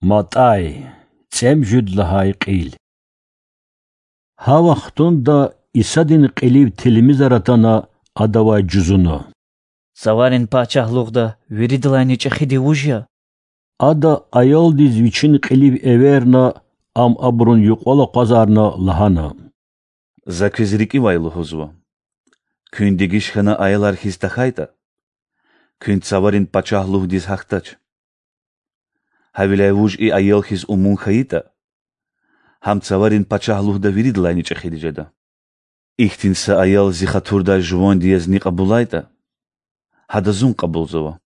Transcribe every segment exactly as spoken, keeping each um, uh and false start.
МатӀай, цӀемуьжуьд лагьай кьил. Гьа вахтунда Исадин кьилив тилмизар атана, Адавай жузуна: Цаварин пачагьлугъда виридалайни чӀехиди вуж я? Ада аялдиз вичин кьилив эверна, ам абурун юкьвал акъвазарна, лагьана: За квез рикӀивай лугьузва: куьн дегиш хьана аялар хьиз тахьайтӀа, куьн Цаварин пачагьлугъдиз гьахьдач. Гьавиляй вуж и аял хьиз умун хьайитӀа, гьам Цаварин пачагьлугъда виридалайни чӀехиди жеда. Ихьтин са аял Зи хатурдай жуванди язни кьабулайтӀа, гьада Зун кьабулзава.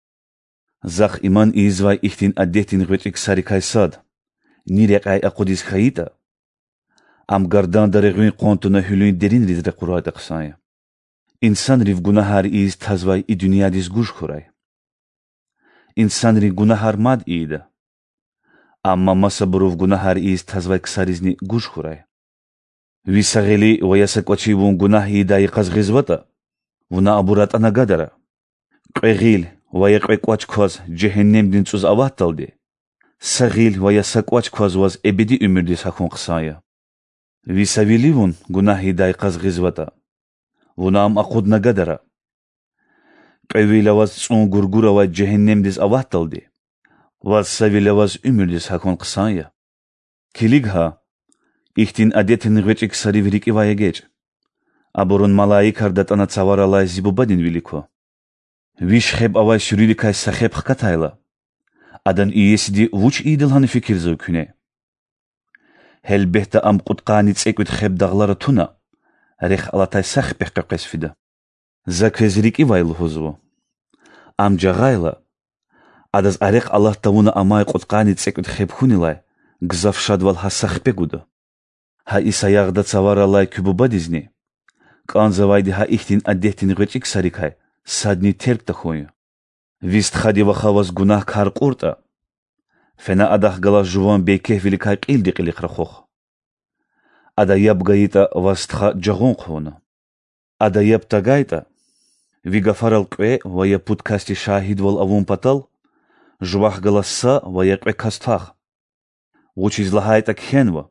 Захъ иман ийизвай ихьтин адетдин гъвечӀи ксарикай сад ни рекьяй акъудиз хьайитӀа, ам гарданда регъуьн къван туна гьуьлуьн деринриз ракъурайтӀа хъсан я. Инсанрив гунагьар ийиз тазвай и дуьньядиз гуж хьурай. Инсанрин гунагьар мад ийида. Амма масабурув гунагьар ийиз тазвай ксаризни гуж хьурай. Ви са гъили ва я са кӀвачи вун гунагь ийидай йикъаз гъизватӀа, вуна абур атӀана гадара. Кьве гъил ва я кьве кӀвач кваз жегьеннемдин цӀуз аватдалди, са гъил ва я са кӀвач кваз ваз эбеди уьмуьрдиз гьахьун хъсан я. Ви са вили вун гунагь ийидай йикъаз гъизватӀа, вуна ам акъудна гадара. Кьве вил аваз цӀун гургур авай жегьеннемдиз аватдалди, ваз са вил аваз уьмуьрдиз гьахьун хъсан я. Килиг гьа, ихьтин адетдин гъвечӀи ксарив рикӀивай эгечӀ. Абурун малаикар датӀана Цаваралай Зи Бубадин вилик ква. Виш хеб авай суьруьдикай са хеб хкатайла, адан иесиди вуч ийида лагьана фикирзава куьне? Гьелбетда, ам кьудкъанни цӀекӀуьд хеб дагълара туна, рехъ алатай са хипехъ къекъвез фида. За квез рикӀивай лугьузва: ам жагъайла, адаз а рехъ алат тавуна амай кьудкъанни цӀекӀуьд хеб хьунилай гзаф шадвал гьа са хипе гуда. Гьа и саягъда Цаваралай куь Бубадизни кӀанзавайди гьа ихьтин адетдин гъвечӀи ксарикай садни терг тахьун я. Ви стхади ваха ваз гунагь кар кьуртӀа, фена адахъ галаз жуван бейкефвиликай кьилди кьилихъ рахух. Ада яб гайитӀа, ваз стха жагъун хъувуна. Ада яб тагайтӀа, ви гафарал кьве ва я пуд касди шагьидвал авун патал, жувахъ галаз са ва я кьве кас твах. Вучиз лагьайтӀа кхьенва: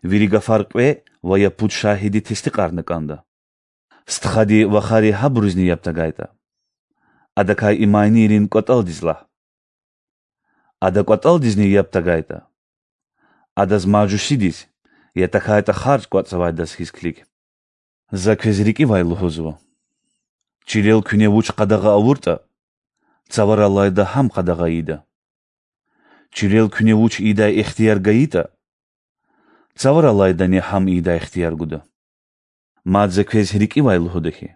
Вири гафар кьве ва я пуд шагьиди тестикьарна кӀанда. Стхади вахари гьабурузни яб тагайтӀа, адакай и манийрин кӀватӀалдиз лагь. Ада кӀватӀалдизни яб тагайтӀа, адаз мажусидиз, я тахьайтӀа харж кӀватӀзавайдаз хьиз килиг. За квез рикӀивай лугьузва: чилел куьне вуч къадагъа авуртӀа, Цавараллайда гьам къадагъа ийида. Чилел куьне вуч ийидай ихтияр гайитӀа, Цавараллайдани гьам ийидай ихтияр гуда. Мад за квез рикӀивай лугьуда хьи,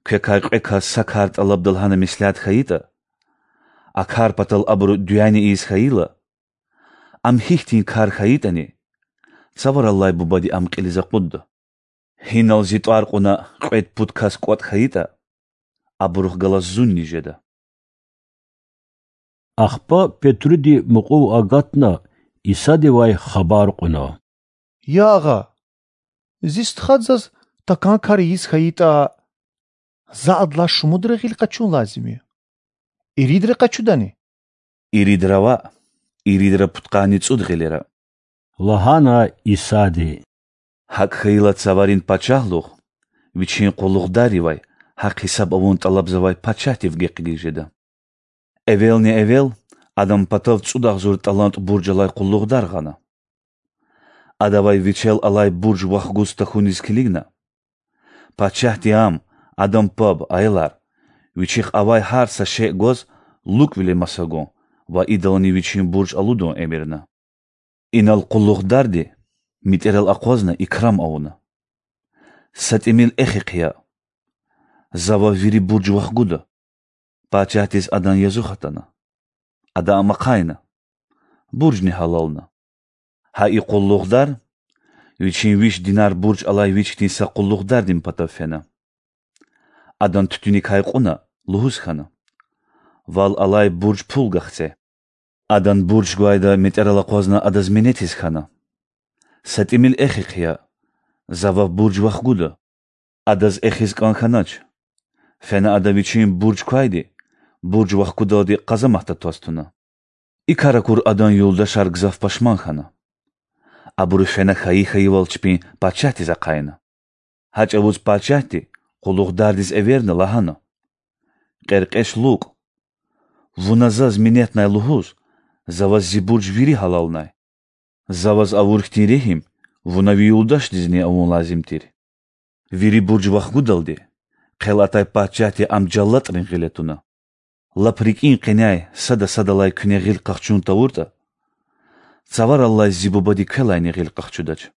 квекай кьве кас са кар тӀалабда лагьана меслят хьайитӀа, а кар патал абуру дуьани ийиз хьайила, ам гьихьтин кар хьайитӀани, Цавараллай Бубади ам кьилиз акъудда. Гьинал Зи тӀвар кьуна кьвед-пуд кас кӀватӀ хьайитӀа, абурухъ галаз Зунни жеда. Ахпа Петруди мукьув агатна, Исадивай хабар кьуна: Я Агъа, зи стха заз такӀан кар ийиз хьайитӀа, за адалай шумудра гъил къачун лазим я. Иридра къачудани? Иридра ваъ, иридра пудкъанни цӀуд гъилера,— лагьана Исади. ГьакӀ хьайила, Цаварин Пачагьлугъ вичин къуллугъдаривай гьахъ-гьисаб авун тӀалабзавай пачагьдив гекъигиз жеда. Эвелни-эвел адан патав цӀуд агъзур талант бурж алай къуллугъдар гъана. Адавай вичел алай бурж вахгуз тахьуниз килигна, пачагьди ам, адан паб, аялар, вичихъ авай гьар са шей гваз лукӀвиле маса гун ва идални вичин бурж алудун эмирна. Инал къуллугъдарди метӀерал акъвазна икрам авуна: Са тӀимил эхи хъия, за вав вири бурж вахгуда. Пачагьдиз адан язух атана. Ада ам ахъайна, буржни гьалална. Гьа и къуллугъдар вичин виш динар бурж алай вичтин са къуллугъдардин патав фена. Адан туьтуьникай кьуна, лугьуз хьана: Вал алай бурж пул гахце. Адан бурж гвайда метӀерал акъвазна адаз минетиз хьана: Са тӀимил эхи хъия, за вав бурж вахгуда. Адаз эхиз кӀан хьанач. Фена ада вичин бурж квайди бурж вахгудалди къазаматда тваз туна. И кар акур адан юлдашар гзаф пашман хьана. Абуру фена хьайи-хьайивал чпин пачагьдиз ахъайна. Гьа чӀавуз пачагьди, къуллугъдардиз эверна, лагьана: Кьеркьеч лукӀ, вуна заз минетнай лугьуз, за ваз зи бурж вири гьалалнай. За ваз авур хьтин регьим вуна ви юлдашдизни авун лазим тир. Вири бурж вахгудалди, хъел атай пачагьди ам жаллатӀрин гъиле туна. Лап рикӀин къеняй сада-садалай куьне гъил къахчун тавуртӀа, цавараллай зи бубади квелайни гъил къахчудач.